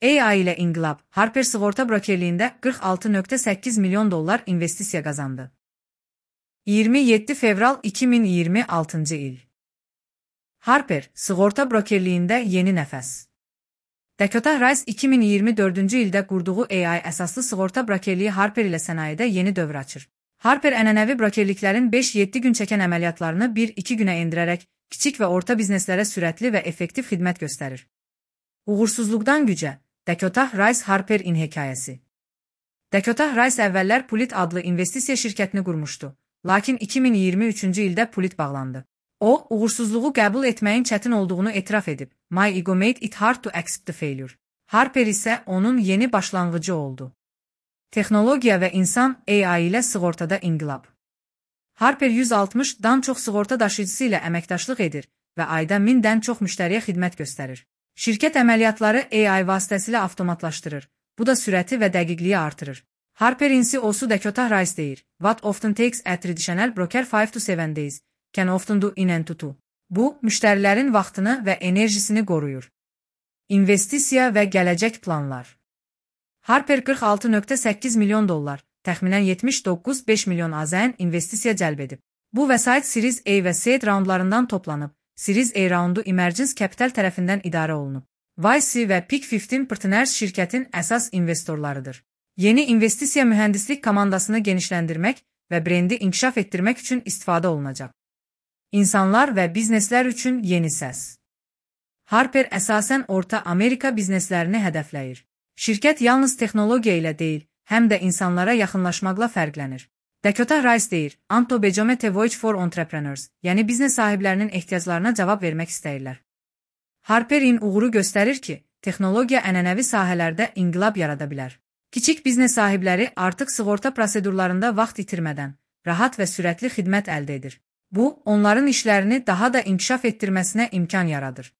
AI ile inqilab, Harper sığorta brokerliyində 46,8 milyon dollar investisiya qazandı. 27 fevral 2026 il. Harper, sığorta brokerliyində yeni nəfəs. Dakota Rice 2024-cü ildə qurduğu AI əsaslı sığorta brokerliyi Harper ilə sənayedə yeni dövr açır. Harper ənənəvi brokerliklərin 5-7 gün çəkən əməliyyatlarını 1-2 günə endirərək, kiçik və orta bizneslərə sürətli və effektiv xidmət göstərir. Uğursuzluqdan gücə, Dakota Rice Harper-in hekayəsi. Dakota Rice əvvəllər Pulit adlı investisiya şirkətini qurmuşdu, lakin 2023-cü ildə Pulit bağlandı. O, uğursuzluğu qəbul etməyin çətin olduğunu etiraf edib. My ego made it hard to accept the failure. Harper isə onun yeni başlanğıcı oldu. Texnologiya və insan AI ilə sığortada inqilab. Harper 160-dan çox sığorta daşıyıcısı ilə əməkdaşlıq edir və ayda 1000-dən çox müştəriyə xidmət göstərir. Şirkət əməliyyatları AI vasitəsilə avtomatlaşdırır. Bu da sürəti və dəqiqliyi artırır. Harperin CEO-su Dakota Rice deyir, What often takes a traditional broker 5 to 7 days can often do in and to 2. Bu, müştərilərin vaxtını və enerjisini qoruyur. İnvestisiya və gələcək planlar. Harper 46,8 milyon dollar, təxminən 79,5 milyon AZN investisiya cəlb edib. Bu vəsait Series A və C raundlarından toplanıb. Series A raundu Emergence Capital tərəfindən idarə olunub. YC və Peak 15 Partners şirkətin əsas investorlarıdır. Yeni investisiya mühəndislik komandasını genişləndirmək və brendi inkişaf etdirmək üçün istifadə olunacaq. İnsanlar və bizneslər üçün yeni səs. Harper əsasən Orta Amerika bizneslərini hədəfləyir. Şirkət yalnız texnologiya ilə deyil, həm də insanlara yaxınlaşmaqla fərqlənir. Dakota Rice deyir, Anto Bejomete Voice for Entrepreneurs, yəni biznes sahiblərinin ehtiyaclarına cavab vermək istəyirlər. Harperin uğuru göstərir ki, texnologiya ənənəvi sahələrdə inqilab yarada bilər. Kiçik biznes sahibləri artıq sığorta prosedurlarında vaxt itirmədən, rahat və sürətli xidmət əldə edir. Bu, onların işlərini daha da inkişaf etdirməsinə imkan yaradır.